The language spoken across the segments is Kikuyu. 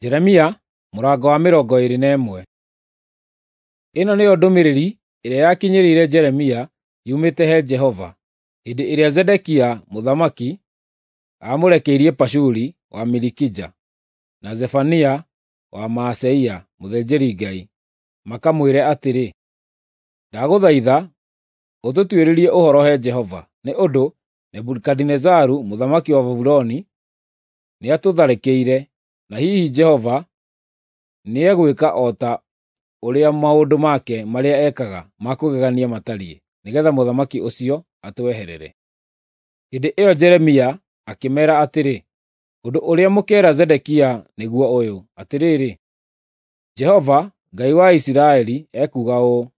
Jeremia mũrango wa 21. Ĩno nĩyo ndũmĩrĩri ĩrĩa yakinyĩrĩire Jeremia yumĩte he Jehova, hĩndĩ ĩrĩa Zedekia mũthamaki aamũrekeirie Pashuri wa Malikija na Zefania wa Maaseia mũthĩnjĩri-Ngai, makamwĩre atĩrĩ, “Ndagũthaitha ũtũtuĩrĩrie ũhoro he Jehova, nĩ ũndũ Nebukadinezaru mũthamaki wa Babuloni nĩatũtharĩkĩire, na hihi Jehova nĩegwĩka o ta ũrĩa maũndũ make marĩa ekaga ma kũgegania matariĩ, nĩgeetha mũthamaki ũcio atweherere.” Hĩndĩ ĩyo Jeremia akĩmeera atĩrĩ, “Ũndũ ũrĩa mũkeera Zedekia nĩguo ũyũ: Atĩrĩrĩ, Jehova, Ngai wa Isiraeli, ekuuga ũũ: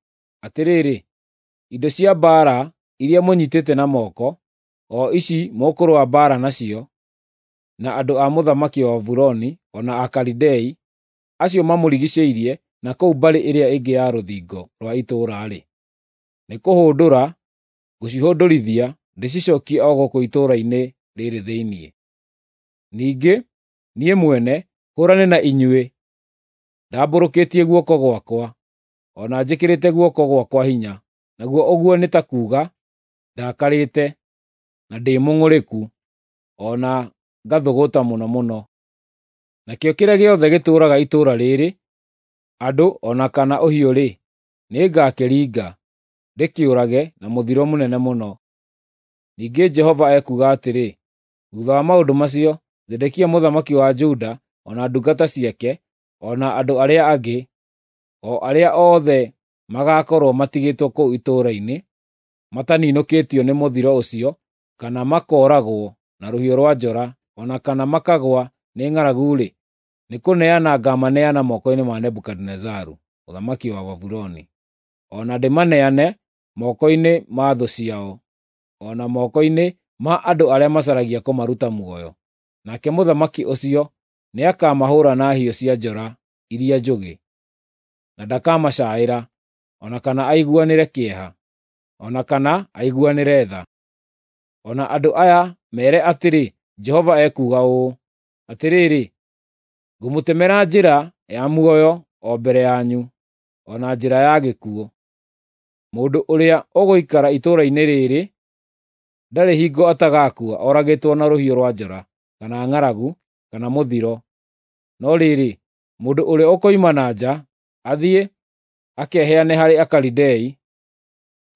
Atĩrĩrĩ, indo cia mbaara iria mũnyiitĩte na moko, o ici mũkũrũa mbaara nacio na andũ a mũthamaki wa Babuloni o na Akalidei, acio mamũrigiicĩirie na kũu mbarĩ ĩrĩa ĩngĩ ya rũthingo rwa itũũra-rĩ, nĩkũhũndũra ngũcihũndũrithia ndĩcicookie o gũkũ itũũra-inĩ rĩĩrĩ thĩinĩ. Ningĩ niĩ mwene hũũrane na inyuĩ ndambũrũkĩtie guoko gwakwa, o na njĩkĩrĩte guoko gwakwa hinya, naguo ũguo nĩ ta kuuga ndakarĩte, na ndĩ mũng'ũrĩku, o na ngathũgũta mũno mũno. Nakĩo kĩrĩa gĩothe gĩtũũraga itũũra rĩĩrĩ, andũ o na kana ũhiũ-rĩ, nĩngakĩringa, ndĩkĩũrage na mũthiro mũnene mũno. Ningĩ Jehova ekuuga atĩrĩ, thuutha wa maũndũ macio, Zedekia mũthamaki wa Juda, o na ndungata ciake, o na andũ arĩa angĩ, o arĩa othe magaakorwo matigĩtwo kũu itũũra-inĩ, mataninũkĩtio nĩ mũthiro ũcio, kana makooragwo na rũhiũ rwa njora, o na kana makagũa nĩ ng'aragu-rĩ, nĩkũneana ngaamaneana moko-inĩ ma Nebukadinezaru mũthamaki wa Babuloni, o na ndĩmaneane moko-inĩ ma thũ ciao, o na moko-inĩ ma andũ arĩa macaragia kũmaruta muoyo. Nake mũthamaki ũcio nĩakamahũũra na hiũ cia njora iria njũgĩ, na ndakamacaĩra, o na kana aiguanĩre kĩeha, o na kana aiguanĩre tha. O na andũ aya meere atĩrĩ, Jehova ekuuga ũũ: Atĩrĩrĩ, ngũmũtemera njĩra ya muoyo o mbere yanyu, o na njĩra ya gĩkuũ. Mũndũ ũrĩa ũgũikara itũũra-inĩ rĩĩrĩ ndarĩ hingo atagaakua oragĩtwo na rũhiũ rwa njora, kana ng'aragu, kana mũthiro. No rĩrĩ, mũndũ ũrĩa ũkoima na nja, athiĩ akeheane harĩ Akalidei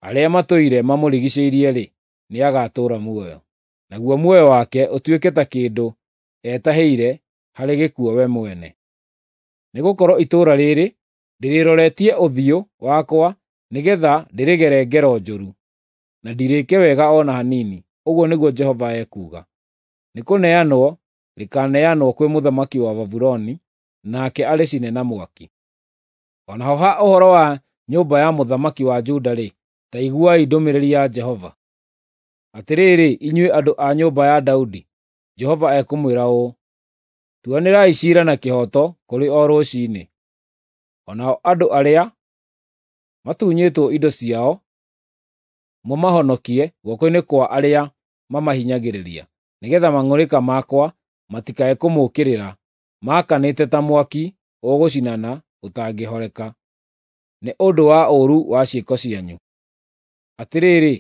arĩa matũire mamũrigiicĩirie-rĩ, nĩagatũũra muoyo, naguo muoyo wake ũtuĩke ta kĩndũ etahĩire harĩ gĩkuũ we mwene. Nĩgũkorwo itũũra rĩĩrĩ ndĩrĩroretie ũthiũ wakwa nĩgeetha ndĩrĩgere ngero njũru, na ndirĩĩke wega o na hanini, ũguo nĩguo Jehova ekuuga. Nĩkũneanwo rĩkaaneanwo kwĩ mũthamaki wa Babuloni, nake arĩcine na mwaki. O naho ha ũhoro wa nyũmba ya mũthamaki wa Juda-rĩ, ta iguai ndũmĩrĩri ya Jehova. Atĩrĩrĩ, inyuĩ andũ a nyũmba ya Daudi, Jehova ekũmwĩra ũũ: Tuanĩrai ciira na kĩhooto kũrĩ o rũciinĩ, o nao andũ arĩa matunyĩtwo indo ciao mũmahonokie guoko-inĩ kwa arĩa mamahinyagĩrĩria, nĩgeetha mang'ũrĩka makwa matikae kũmũũkĩrĩra maakanĩte ta mwaki ũgũcinana ũtangĩhoreka, nĩ ũndũ wa ũũru wa ciĩko cianyu. Atĩrĩrĩ,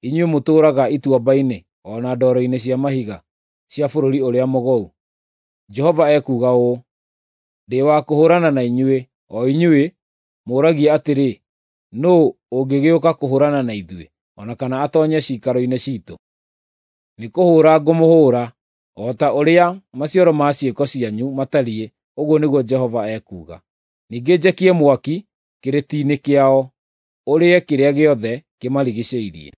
inyuĩ mũtũũraga ituamba-inĩ o na ndwaro-inĩ cia mahiga cia bũrũri ũrĩa mũgũu, Jehova ekuuga ũũ: Ndĩ wa kũhũũrana na inyuĩ, o inyuĩ mũũragia atĩrĩ, ‘Nũũ ũngĩgĩũka kũhũũrana na ithuĩ, o na kana atoonye ciikaro-inĩ ciitũ?’ Nĩkũhũũra ngũmũhũũra, o ta ũrĩa maciaro ma ciĩko cianyu matariĩ, ũguo nĩguo Jehova ekuuga. Ningĩ njakie mwaki kĩrĩti-inĩ kĩao, ũrĩe kĩrĩa gĩothe kĩmarigiicĩirie.”